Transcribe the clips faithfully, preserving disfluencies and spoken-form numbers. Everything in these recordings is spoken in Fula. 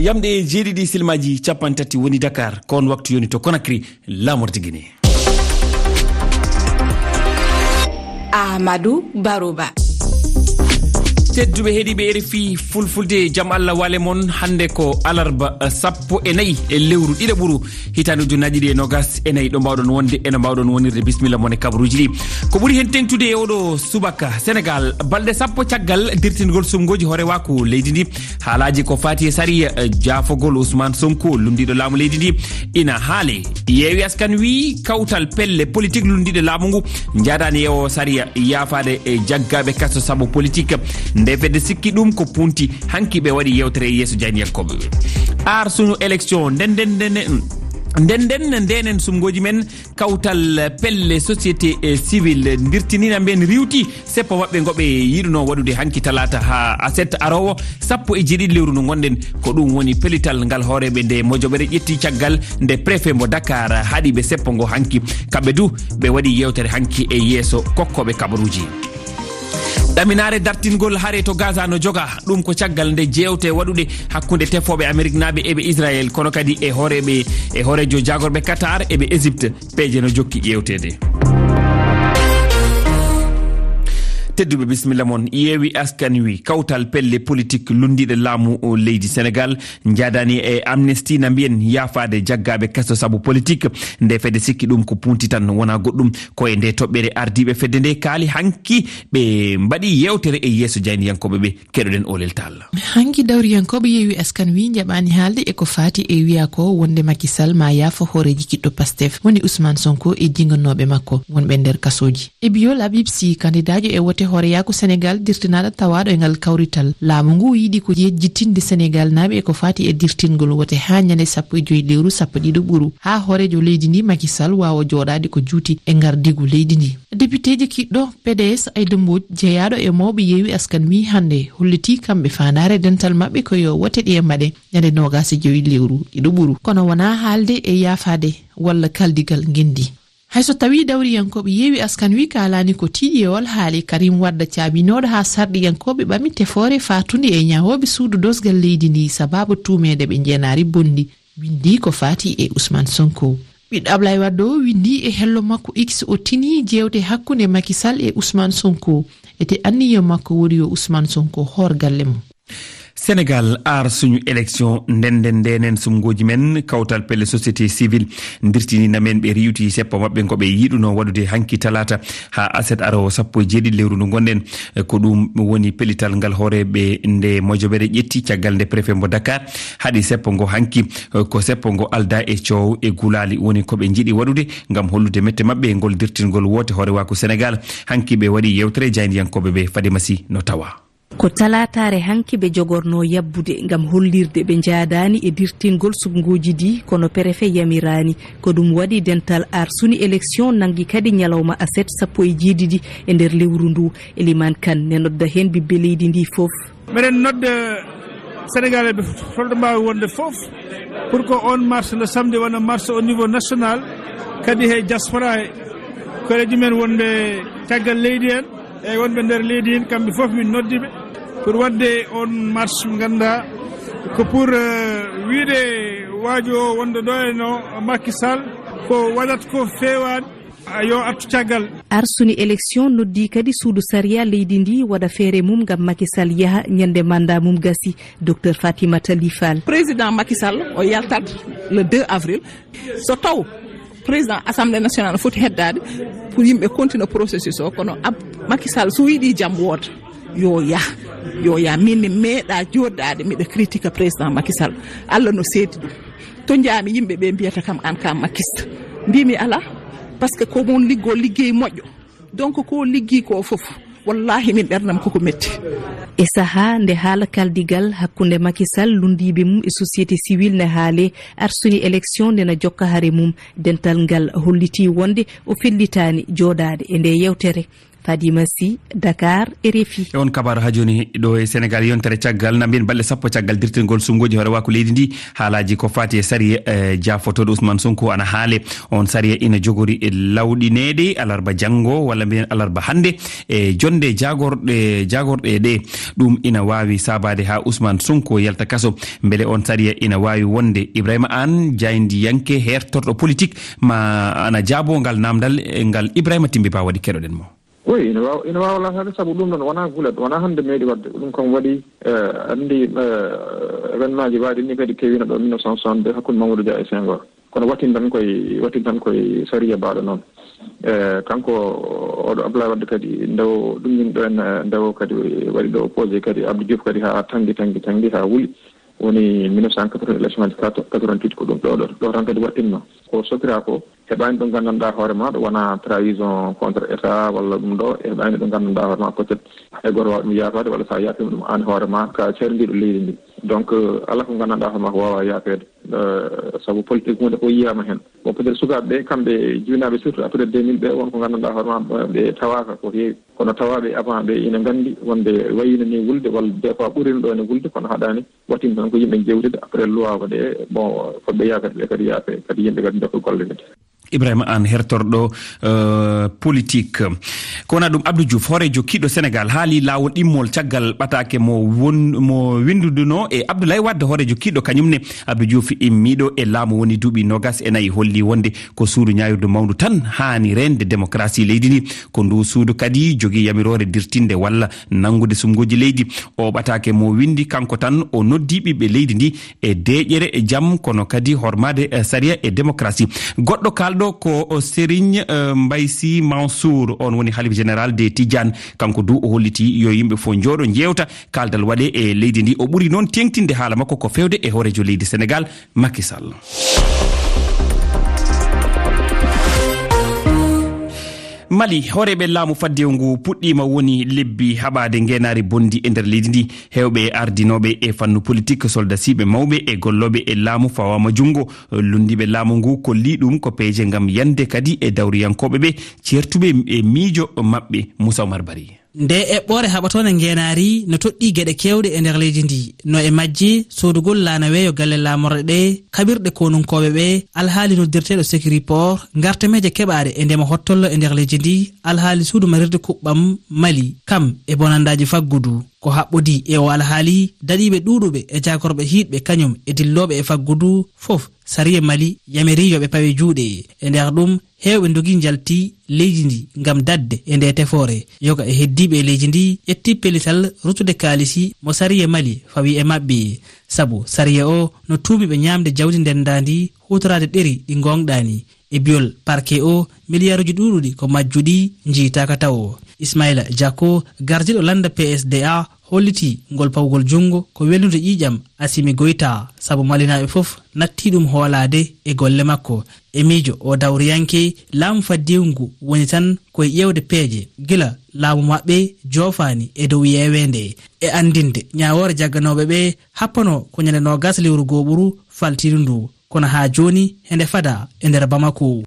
Yamɗe jeeɗiɗi silmaaji cappanɗe tati woni Dakar, ko on waktu yoni to Conakry, laamorde Guinée. Amadou Baroba. Tedduɓe heɗiiɓe R F I Fulfulde, jam Allah wale mon. Hannde ko alarba, eh, sappo e nayi e lewru ɗiɗaɓuru, hitaande ujunnaaji ɗiɗi e noogas e nayi. Ɗo mbaawɗon wonde, eno mbaawɗon wonirde, bisimilla mon e kabaruuji ɗi. Ko ɓuri heen teeŋtude e oɗo subaka, Senegaal, balɗe sappo caggal dirtingol suɓngooji hoorewaaku leydi ndi, haalaaji ko faati e sariya, eh, jaafogol Ousmane Sonko, lunndiiɗo laamu leydi ndi, ina haale. Yeewi Askan Wi, kawtal pelle politik lunndiiɗe laamu ngu, njaadaani e o sariya yaafaade e jaggaaɓe kaso sabu politik. Nde fedde sikki ɗum ko punti, hanki ɓe waɗi yeewtere e yeeso jaayndiyankooɓe ɓe. Aar Suñu Élection, nden nden nden nden nden ndenen suɓngooji men, kawtal pelle société, eh, civile ndirtinina mben riiwti seppo maɓɓe ngo ɓe yiɗuno waɗude hanki talaata haa aset aroowo, sappo e jeeɗiɗi lewru ndu ngonɗen. Ko ɗum woni pellital ngal hooreeɓe nde mojoɓere ƴetti caggal nde préfet mo Dakar haɗi ɓe seppo ngo hanki. Kamɓe du ɓe waɗi yeewtere hanki e yeeso kokkooɓe kabaruuji. Ɗaminaare dartingol hare to Gaza no joga. Ɗum ko caggal nde jeewte waɗuɗe hakkunde tefooɓe Ameriknaaɓe e ɓe Israel, kono kadi e hooreeɓe, e hooreejo jaagorɓe Qatar e ɓe Égypte. Peeje no jokki ƴeewteede. Tedduɓe, bisimilla mon. Yeewi Askan Wi, kawtal pelle politik lunndiiɗe laamu o leydi Senegaal, njaadaani e Amnesty na mbiyen yaafaade jaggaaɓe kaso sabu politik. Nde fedde sikki ɗum ko punti tan, wonaa goɗɗum. Ko e nde toɓɓere ardiiɓe fedde nde kaali hanki ɓe mbaɗi yeewtere e yeeso jaayndiyankooɓe ɓe. Keɗoɗen Olel Tall. Hanki dawriyankooɓe Yeewi Askan Wi njaɓaani haalde e ko faati e wiyaa ko wonde Macky Sall ma yaafo hooreeji kiɗɗo Pastef woni Ousmane Sonko e jinganooɓe makko wonɓe nder kasooji. E biyo Labib Sy, kandidaajo e wote hooreyaaku Senegaal dirtinaaɗo tawaaɗo e ngal kawrital, laamu ngu yiɗi ko yejjitinde Senegaalnaaɓe e ko faati e dirtingol wote haa ñande sappo e joy lewru sappo ɗiɗo ɓuru, haa hooreejo leydi ndi Macky Sall waawa jooɗaade ko juuti e ngardiigu leydi ndi. Depiteejo kiɗɗo P D S Aïda Mbodj, jeyaaɗo e mawɓe Yeewi Askan Wi hannde, hollitii kamɓe faandaare dental maɓɓe ko yo wote ɗe mbaɗe ñande noogas e joy lewru ɗiɗo ɓuru, kono wonaa haalde e yaafaade walla kaldigal ngenndi. Hay so tawii dawriyankooɓe Yeewi Askan Wi kaalaani ko tiiɗi e oon haali, Karim Wade caabinooɗo haa sarɗiyankooɓe ɓami tefoore faatunde e ñahooɓe suudu dosgal leydi ndi sabaabu tuumeede ɓe njeenaari bonndi, winndi ko faati e Ousmane Sonko. Ɓiɗɗo Ablaye Wade o winndi e hello makko X, o tini jeewte hakkunde Macky Sall e Ousmane Sonko, ete anniya makko woni yo Ousmane Sonko hoor galle mum. Senegaal, Aar Suñu Élection, ndenden ndenen suɓngooji men, kawtal pelle société civile ndirtinina men ɓe riiwti seppo maɓɓe ngo ɓe yiɗuno waɗude hanki talaata haa aset aroowo sappo e jeeɗiɗi lewru ndu ngonɗen. Ko ɗum woni pellital ngal hooreeɓe nde mojoɓere ƴetti caggal nde préfet mo Dakar haɗi seppo ngo hanki. Ko seppo ngo aldaa e coow e gulaali woni ko ɓe njiɗi waɗude ngam hollude mette maɓɓe e ngol dirtingol woote hoorewaaku Senegaal. Hanki ɓe waɗi yeewtere jaayndiyankooɓe ɓe. Fadima Sy no tawa. Ko talaataare hanki ɓe jogorno yabbude ngam hollirde ɓe njaadaani e dirtingol suɓngooji ɗi, kono perefe yamiraani. Ko ɗum waɗi dental Aar Suñu Élection nanngi kadi ñalawma aset sappo e jeeɗiɗi e nder lewru ndu. Eliman Kan ne nodda heen ɓiɓɓe leydi ndi fof. Meɗen nodda Senegaal ɓe holto mbaawi wonde fof pour que on marche le samedi wona marche au niveau national, kadi he diaspora he, koreeji men wonɓe caggal leydi en, e wonɓe nder leydi en, kamɓe fof min noddi ɓe pour waɗde on marche, ngannda ko pour, euh, wiide waajo o wonde ɗo e no Macky Sall ko waɗat ko feewaani, a yo artu caggal. Arsuni élection noddi kadi suudu sariya leydi ndi waɗa feere mum ngam Macky Sall yaha ñande mandat mum gasi. Docteur Fatimata Ly Fall. Président Macky Sall o yaltat le deux avril. So taw président assemblée nationale foti heddaade pour yimɓe continue processus o, kono ab Macky Sall so yiɗi jam wooda, yo yah, yo yah. Min mi meeɗa jooɗaade miɗa critique président Macky Sall. Allah no seedi ɗum. To njaami yimɓe ɓe mbiyata kam an ka makkista. Mbimi ala, parce que ko mon liggo liggey moƴƴo. Donc ko liggi ko fof, wallahi min ɓernam koko metti. E saha nde haala kaldigal hakkunde Macky Sall, lundiiɓe mum e société civile ne haale, arsuni élection nde na jokka hare mum. Dental ngal holliti wonde o fellitaani jooɗaade e nde yewtere. Fadima Sy, Dakar, R F I. E on kabaaru haa jooni ɗo e Senegaal, yontere caggal, na mbiyen balɗe sappo caggal dirtingol suɓngooji hoorewaaku leydi ndi, haalaaji ko faati e sariya, eh, jaafotooɗo Ousmane Sonko ana haale. On sariya ina jogori e lawɗineede alarba janngo, walla mbiyen alarba hannde, e jonnde jaagorɗe, jaagorɗe ɗe. Ɗum ina waawi saabaade haa Ousmane Sonko yalta kaso. Mbele on sariya ina waawi wonde? Ibrahima Aan, jaayndiyanke, heertorɗo politik, ma ana jaabo ngal naamndal, e ngal Ibrahima Timbi Ba waɗi, keɗoɗen mo. Oui, ina waawa, ina waawa laataade, sabu ɗum ɗoon wonaa gulet, wonaa hannde meeɗi waɗde. Ɗum kam waɗi, eh, anndi, eh, événement ji mbaɗi ni kadi keewino ɗo mille neuf cent soixante-deux hakkunde Mamadou Dia e Senghor. Kono wattin tan koye, wattin tan koye sariya mbaɗo noon. Eh, kanko oɗo Abdoulaye Wade kadi, nde o ɗummin ɗo en, eh, nde o kadi waɗi ɗo opposé kadi Abdou Diouf kadi haa tanngi, tanngi, tanngi haa wuli. Woni mille neuf cent quatre-vingts élection aji quatre-vingt-huit ko ɗum ɗo, ɗo, ɗo tan kadi waɗɗinno. Ko sokira ko, heɓaani ɗo nganndanɗaa hoore ma, ɗo wona trahison contre État walla ɗum ɗo, heɓaani ɗo nganndanɗaa hoore ma, peut-être hay gooto waawa ɗum yaafaade, walla so a yaafiima ɗum aan hoore ma, ka carindiiɗo leydi ndi. Donc, euh, alaa ko nganndanɗaa hoore ma ko waawaa yaafeede. Euh, sabu politique huunde fof yiyaama heen. Bon, peut-être sukaaɓe ɓe, kamɓe jibinaaɓe surtout après deux mille ɓe, won ko nganndanɗaa hoore ma, ɓe tawaaka ko heewi. Kono tawaaɓe avant ɓe ina nganndi wonde wayino ni wulde, walla des fois ɓurino ɗo ne wulde, kono haɗaani. Waɗi tan ko yimɓe njeewtida, après luwaago ɗe, bon, fotɓe yaafeede ɓe kadi yaafe, kadi yimɓe kadi ndokkee golle ɗe. Ibrahima Aan, hertorɗo, eh, politik. Ko wona ɗum, Abdou Diouf, hooreejo kiiɗɗo Senegaal, haali laawol ɗimmol caggal ɓataake mo won-, mo winndunoo e Abdoulaye Wade, hooreejo kiiɗɗo kañum ne. Abdou Diouf immiiɗo e laamu woni duuɓi noogas e nayi, holli wonde ko suudu ñaawirdu mawndu tan haani reende demokarasi leydi ndi. Ko ndu suudu kadi jogii yamiroore dirtinde walla nanngude suɓngooji leydi. O ɓataake mo winndi kanko tan, o noddi ɓiɓɓe leydi ndi e deeƴere e jam, kono kadi hormaade, eh, sariya e demokarasi. Goɗɗo kaalɗo ko o Serigne, eh, Mbaye Sy Mansour, on woni halif général des Tidiane. Kanko du o holliti yo yimɓe fof njooɗo njeewta, kaaldal waɗe e leydi ndi. O ɓuri noon teeŋtinde haala makko ko feewde e hooreejo leydi Senegaal, Macky Sall. Mali, hooreeɓe laamu faddewu ngu puɗɗiima woni lebbi haɓaade ngeenaari bonndi e nder leydi ndi. Heewɓe ardinooɓe e fannu politik, soldasiiɓe mawɓe e gollooɓe e laamu fawaama junngo. Lunndiiɓe laamu ngu kolli ɗum ko peeje ngam yande kadi e dawriyankooɓe ɓe, ceertuɓe e miijo maɓɓe. Moussa Oumar Bari. Nde eɓɓoore haɓatoonde ngeenaari no toɗɗii geɗe keewɗe e nder leydi ndi, no e majje soodugol laana weeyo galle laamorɗe ɗe, kaɓirɗe konunkooɓe ɓe, alhaali noddirteeɗo Securiport, ngartameeje keɓaaɗe e ndema hottollo e nder leydi ndi, alhaali suudu marirde kuɓɓam Mali, kam e bonandaaji faggudu. Ko haɓɓodii e o alhaali, daɗiiɓe ɗuuɗuɓe e jaagorɓe hiiɗɓe kañum e dillooɓe e faggudu fof, sariya Mali yamirii yo ɓe pawe juuɗe. E nder ɗum, heewɓe ndogii njalti leydi ndi ngam daɗde e nde tefoore. Yoga e heddiiɓe e leydi ndi ƴetti pellital ruttude kaalisi mo sariya Mali fawi e maɓɓe. Sabu sariya o no tuumi ɓe ñaamde jawdi ndenndaandi, huutoraade ɗeri ɗi ngooŋɗaani. E biyol parquet o, miliyaaruuji ɗuuɗuɗi ko majjuɗi, njiytaaka tawo. Ismaila Jacko, gardiiɗo lannda P S D A, hollitii ngol pawgol junngo ko welnude ƴiiƴam Assimi Goïta, sabu Malinaaɓe fof nattii ɗum hoolaade e golle makko. E miijo o dawriyanke, laamu faddewu ngu woni tan ko e ƴeewde peeje gila laamu maɓɓe joofaani e dow yeeweende. E anndinde ñaawoore jagganooɓe ɓe, happanoo ko ñande noogas lewru gooɓuru faltiiru ndu. Kono haa jooni, hende fada e nder Bamako.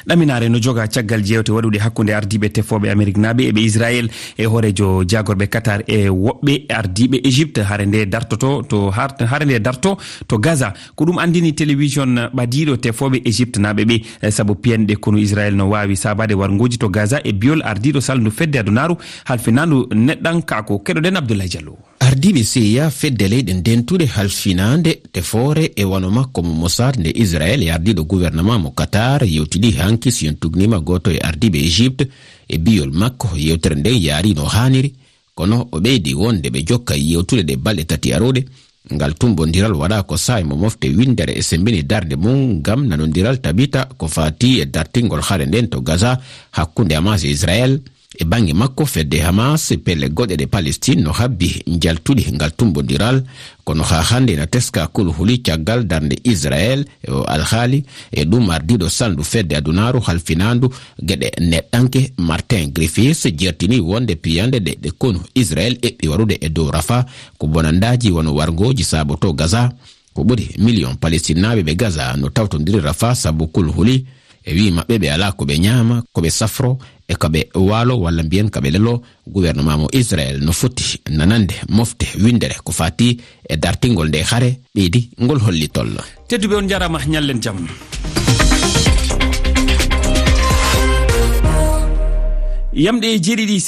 Ɗaminaare no joga caggal jeewte waɗuɗe hakkunde ardiiɓe tefooɓe Ameriknaaɓe e ɓe Israel e hooreejo jaagorɓe Qatar e woɓɓe ardiiɓe Égypte. Hare nde dartoto to har-, hare nde darto to Gaza. Ko ɗum anndini télévision ɓadiiɗo tefooɓe Égyptenaaɓe ɓe, eh, sabu piyanɗe konu Israel no waawi saabaade warngooji to Gaza e biyol ardiiɗo salndu fedde adunaaru halfinaandu neɗɗankaaku. Keɗoɗen Abdoulaye Diallo. Ardiiɓe C I A, fedde leyɗe ndentuɗe halfinaande tefoore e wano makko mo Mossad nde Israel e ardiiɗo gouvernement mo Qatar yewtidi hanki, si on tugnima gooto e ardiiɓe Égypte e biyol makko yewtere nden yaari no haaniri, kono o ɓeydi wonde ɓe jokka yewtude ɗe balɗe tati aruɗe. Ngal tumbondiral waɗa ko saa'i mo mofte winndere e semmbini darnde mum ngam nanondiral tabita ko faati e dartingol hare nden to Gaza hakkunde Hamas e Israel. E bannge makko, fedde Hamas e pelle goɗɗe ɗe Palestine no habbi njaltuɗi ngal tumbondiral, kono haa hannde ina teska kulhuli caggal darnde Israel e o alhaali. E ɗum, ardiiɗo salndu fedde adunaaru halfinaandu geɗe neɗɗanke Martin Griffiths jertini wonde piyanɗe ɗe, ɗe konu Israel eɓɓi waɗude e dow Rafah ko bonandaaji wano warngooji saaboto Gaza. Ko ɓuri miliyon Palestinnaaɓe ɓe Gaza no tawtondiri Rafah sabu kulhuli. E wii maɓɓe, ɓe alaa ko ɓe ñaama, ko ɓe safro, e kaɓe waalo walla mbiyen kaɓe lelo, gouvernement mo Israël no foti nanande mofte winndere ko fati e dartingol nde hare ɓeydi ngol hollitol. Tedduɓe, on njarama, ñallen jam. Yamɗe jeeɗiɗi